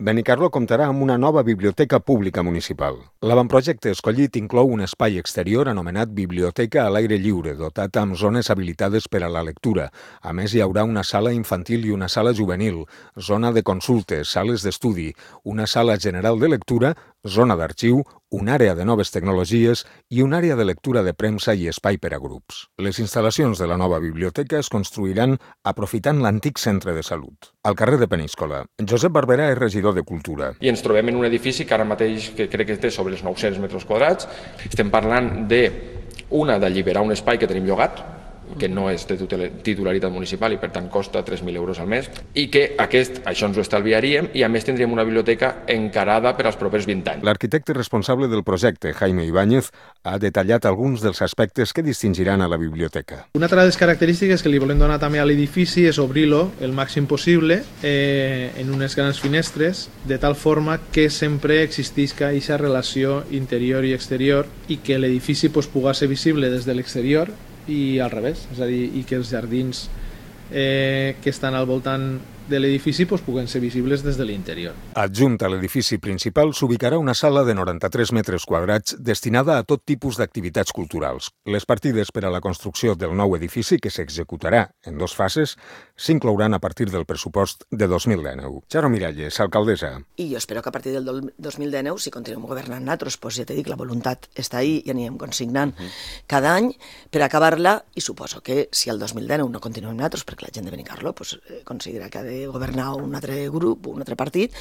Benicarló comptarà amb una nova biblioteca pública municipal. L'avantprojecte escollit inclou un espai exterior anomenat Biblioteca a l'aire lliure, dotat amb zones habilitades per a la lectura. A més, hi haurà una sala infantil i una sala juvenil, zona de consultes, sales d'estudi, una sala general de lectura, zona d'arxiu, una àrea de noves tecnologies i una àrea de lectura de premsa i espai per a grups. Les instal·lacions de la nova biblioteca es construiran aprofitant l'antic centre de salut. Al carrer de Peníscola, Josep Barberà és regidor de Cultura. I ens trobem en un edifici que ara mateix que crec que té sobre els 900 metres quadrats. Estem parlant d'alliberar un espai que tenim llogat, que no és de titularitat municipal i per tant costa 3.000 euros al mes, i que això ens ho estalviaríem i a més tindríem una biblioteca encarada per als propers 20 anys. L'arquitecte responsable del projecte, Jaime Ibáñez, ha detallat alguns dels aspectes que distingiran a la biblioteca. Una altra de les característiques que li volem donar també a l'edifici és obrir-lo el màxim possible en unes grans finestres, de tal forma que sempre existisca aquesta relació interior i exterior i que l'edifici pugui ser visible des de l'exterior i al revés, és a dir, i que els jardins que estan al voltant de l'edifici puguen ser visibles des de l'interior. Adjunt a l'edifici principal s'ubicarà una sala de 93 metres quadrats destinada a tot tipus d'activitats culturals. Les partides per a la construcció del nou edifici, que s'executarà en 2 fases, s'inclouran a partir del pressupost de 2019. Charo Miralles, alcaldessa. I jo espero que a partir del 2019, si continuem governant nosaltres, ja t'he dit, la voluntat està ahí i anirem consignant cada any per acabar-la, i suposo que si el 2019 no continuem nosaltres, perquè la gent de Benicarló considera que ha de governar un altre grup, un altre partit,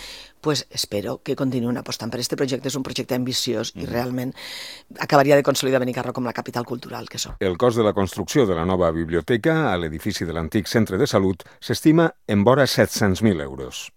espero que continuïn apostant per aquest projecte. És un projecte ambiciós i realment acabaria de consolidar Benicarló com la capital cultural que som. El cost de la construcció de la nova biblioteca a l'edifici de l'antic centre de salut s'estima en vora 700.000 euros.